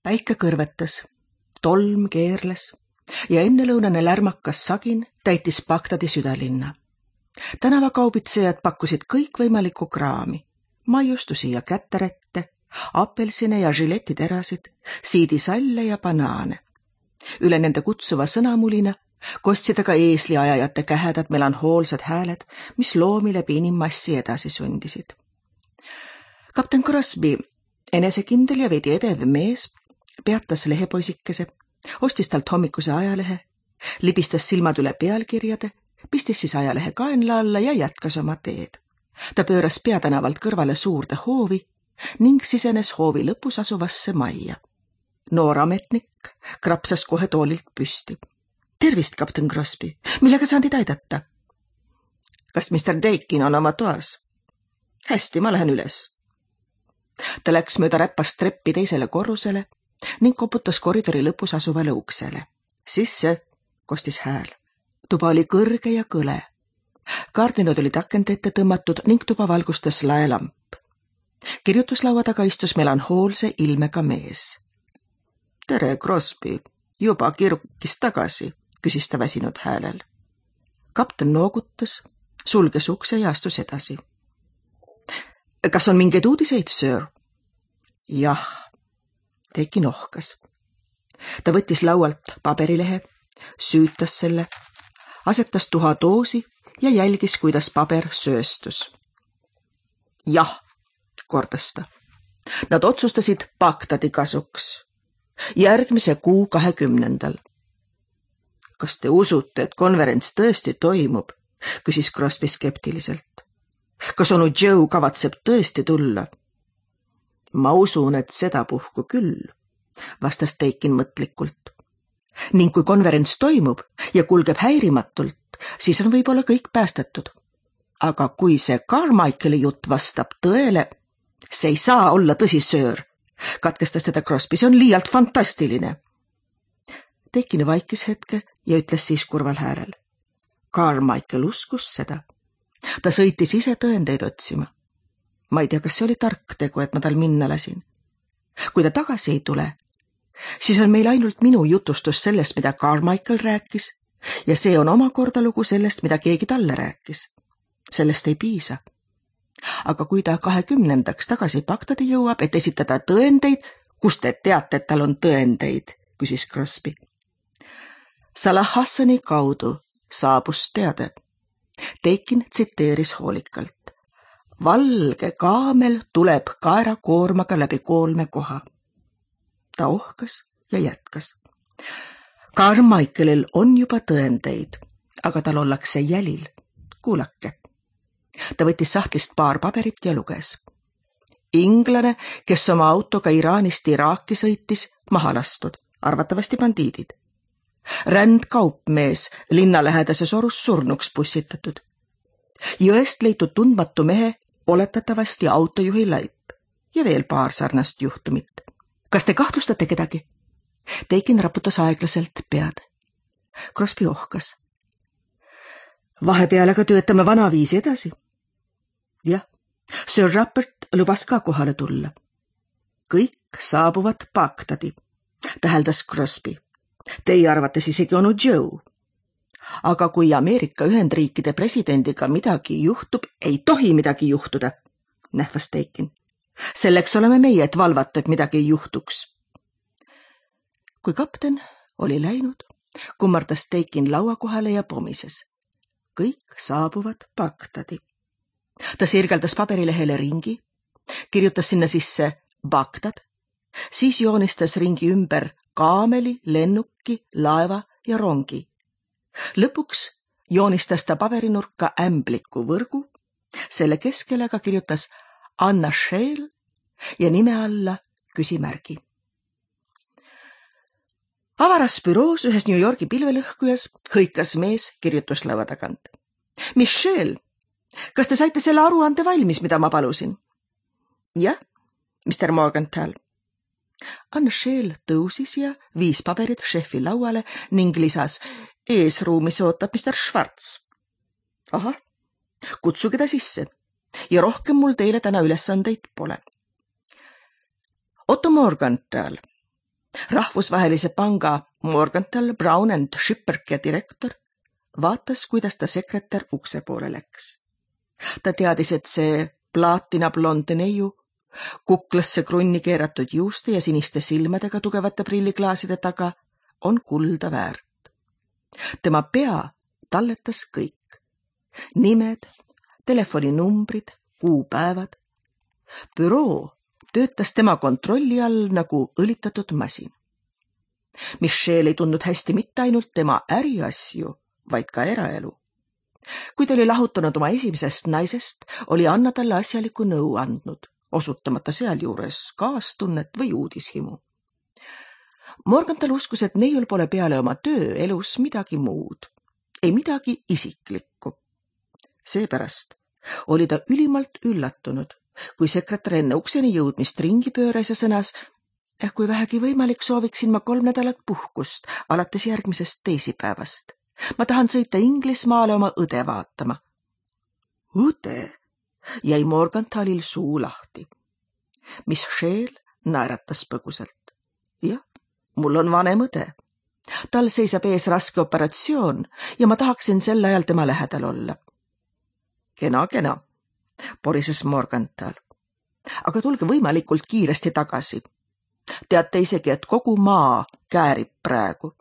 Päike kõrvetas, tolm keerles ja ennelõunane lärmakas sagin täitis Bagdadi südalinna. Tänavakaubitsejad pakkusid kõikvõimalikku kraami, maiustusi ja kätterette, apelsine ja žiletiterasid, siidisalle ja banaane. Üle nende kutsuva sõnamulina kostsid aga eesliajajate kähedad melanhoolsed hääled, mis loomi läbi inimmassi edasi sundisid. Kapten Crosby, enesekindel ja veidi edev mees, peatas lehepoisikese, ostis talt hommikuse ajalehe, libistas silmad üle pealkirjade, pistis siis ajalehe kaenla alla ja jätkas oma teed. Ta pööras peatänavalt kõrvale suurde hoovi ning sisenes hoovi lõpus asuvasse majja. Noor ametnik krapsas kohe toolilt püsti. Tervist, kapten Crosby, millega saan teid aidata? Kas Mr. Dakin on oma toas? Hästi, ma lähen üles. Ta läks mööda räppast treppi teisele korrusele ning koputas koridori lõpus asuvale uksele. Sisse, kostis hääl. Tuba oli kõrge ja kõle. Kaardinad olid akende ette tõmmatud ning tuba valgustas laelamp. Kirjutuslaua taga istus melanhoolse ilmega mees. Tere, Crosby, juba kirukis tagasi, küsis ta väsinud häälel. Kapten noogutas, sulges ukse ja astus edasi. Kas on mingeid uudiseid, sir? Jah, Dakin ohkas. Ta võttis laualt paberilehe, süütas selle, asetas tuha doosi ja jälgis, kuidas paber sööstus. Jah, kordas ta. Nad otsustasid Bagdadi kasuks. Järgmise kuu 20. Kas te usute, et konverents tõesti toimub? Küsis Crosby skeptiliselt. Kas onu Joe kavatseb tõesti tulla? Ma usun, et seda puhku küll, vastas Dakin mõtlikult. Ning kui konverents toimub ja kulgeb häirimatult, siis on võib-olla kõik päästetud. Aga kui see Carmichaeli jutt vastab tõele, see ei saa olla tõsi, söör, katkestas teda Crosby, see on liialt fantastiline. Dakin vaikis hetke ja ütles siis kurval häälel. Carmichael uskus seda. Ta sõitis ise tõendeid otsima. Ma ei tea, kas see oli tark tegu, et ma tal minna lasin. Kui ta tagasi ei tule, siis on meil ainult minu jutustus sellest, mida Carmichael rääkis, ja see on omakorda lugu sellest, mida keegi talle rääkis. Sellest ei piisa. Aga kui ta 20. tagasi Bagdadi jõuab, et esitada tõendeid, kust te teate, et tal on tõendeid, küsis Crosby. Salah Hassani kaudu saabus teade. Dakin tsiteeris hoolikalt. Valge kaamel tuleb kaerakoormaga läbi 3 koha. Ta ohkas ja jätkas. Carmichaelil on juba tõendeid, aga tal ollakse jälil. Kuulake. Ta võttis sahtlist paar paberit ja luges. Inglane, kes oma autoga Iraanist Iraaki sõitis, maha lastud, arvatavasti bandiidid. Rändkaupmees linnalähedases orus surnuks pussitatud. Jõest leitud tundmatu mehe oletatavasti autojuhi laip ja veel paar sarnast juhtumit. Kas te kahtlustate kedagi? Dakin raputas aeglaselt pead. Crosby ohkas. Vahepeal aga töötame vanaviisi edasi. Jah, Sir Rupert lubas ka kohale tulla. Kõik saabuvad Bagdadi, täheldas Crosby. Teie arvates isegi onu Joe. Aga kui Ameerika Ühendriikide presidendiga midagi juhtub, ei tohi midagi juhtuda, nähvas Dakin. Selleks oleme meie, et valvata, et midagi ei juhtuks. Kui kapten oli läinud, kummardas Dakin laua kohale ja pomises. Kõik saabuvad Bagdadi. Ta sirgeldas paberilehele ringi, kirjutas sinna sisse Bagdad, siis joonistas ringi ümber kaameli, lennuki, laeva ja rongi. Lõpuks joonistas ta paberinurka ämbliku võrgu, selle keskele aga kirjutas Anna Shale ja nime alla küsimärgi. Avaras büroos ühes New Yorgi pilvelõhkujas hõikas mees kirjutuslaua tagant. Michelle, kas te saite selle aruande valmis, mida ma palusin? Jah, Mr. Morgenthal. Anna Shale tõusis ja viis paberid šefi lauale ning lisas, eesruumis ootab Mr. Schwartz. Ahah, kutsuge ta sisse ja rohkem mul teile täna ülesandeid pole. Otto Morgenthal, Rahvusvahelise panga Morgenthal, Brown and Schipperke direktor vaatas, kuidas ta sekretär ukse poole läks. Ta teadis, et see plaatina blonde neiu, kuklasse krunni keeratud juuste ja siniste silmadega tugevate prilliklaaside taga on kulda väärt. Tema pea talletas kõik. Nimed, telefoninumbrid, kuupäevad. Büroo töötas tema kontrolli all nagu õlitatud masin. Michelle ei tundnud hästi mitte ainult tema äriasju, vaid ka eraelu. Kui ta oli lahutanud oma esimesest naisest, oli Anna talle asjaliku nõu andnud, osutamata sealjuures kaastunnet või uudishimu. Morgenthal uskus, et neiul pole peale oma töö elus midagi muud, ei midagi isiklikku. Seepärast oli ta ülimalt üllatunud, kui sekretär enne ukseni jõudmist ringi pööras ja sõnas, kui vähegi võimalik, sooviksin ma 3 nädalat puhkust alates järgmisest teisipäevast. Ma tahan sõita Inglismaale oma õde vaatama. Õde? Jäi Morgenthalil suu lahti. Michelle naeratas põgusalt. Jah, mul on vanem õde. Tal seisab ees raske operatsioon ja ma tahaksin sel ajal tema lähedal olla. Kena, porises Morgenthal. Aga tulge võimalikult kiiresti tagasi. Teate isegi, et kogu maa käärib praegu.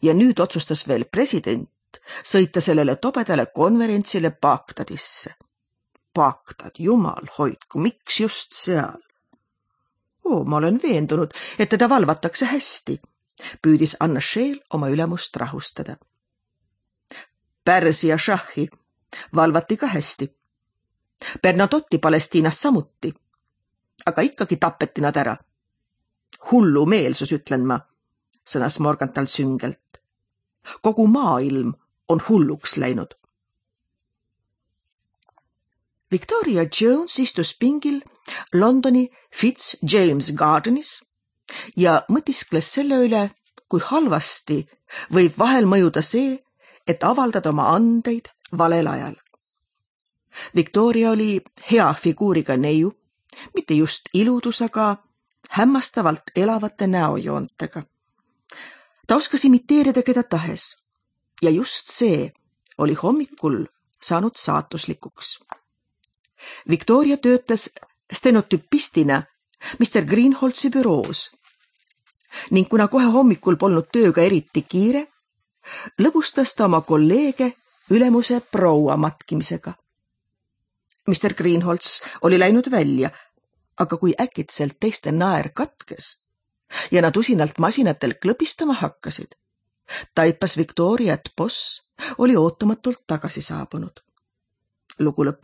Ja nüüd otsustas veel president sõita sellele tobedale konverentsile Bagdadisse. Bagdad, jumal hoidku, miks just seal? Ma olen veendunud, et teda valvatakse hästi, püüdis Anna Scheel oma ülemust rahustada. Pärsia šahhi valvati ka hästi. Bernadotti Palestiinas samuti, aga ikkagi tapeti nad ära. Hullu meelsus, ütlen ma, sõnas Morgenthal süngelt. Kogu maailm on hulluks läinud. Victoria Jones istus pingil Londoni Fitzjames Gardenis ja mõtiskles selle üle, kui halvasti võib vahel mõjuda see, et avaldada oma andeid valel ajal. Victoria oli hea figuuriga neiu, mitte just iludus, aga hämmastavalt elavate näojoontega. Ta oskas imiteerida keda tahes ja just see oli hommikul saanud saatuslikuks. Victoria töötas stenotüpistina Mr. Greenholtsi büroos ning kuna kohe hommikul polnud tööga eriti kiire, lõbustas ta oma kolleege ülemuse proua matkimisega. Mr. Greenholts oli läinud välja, aga kui äkitselt teiste naer katkes ja nad usinalt masinatel klõpistama hakkasid, taipas Victoria, et boss oli ootamatult tagasi saabunud. Lugu lõppes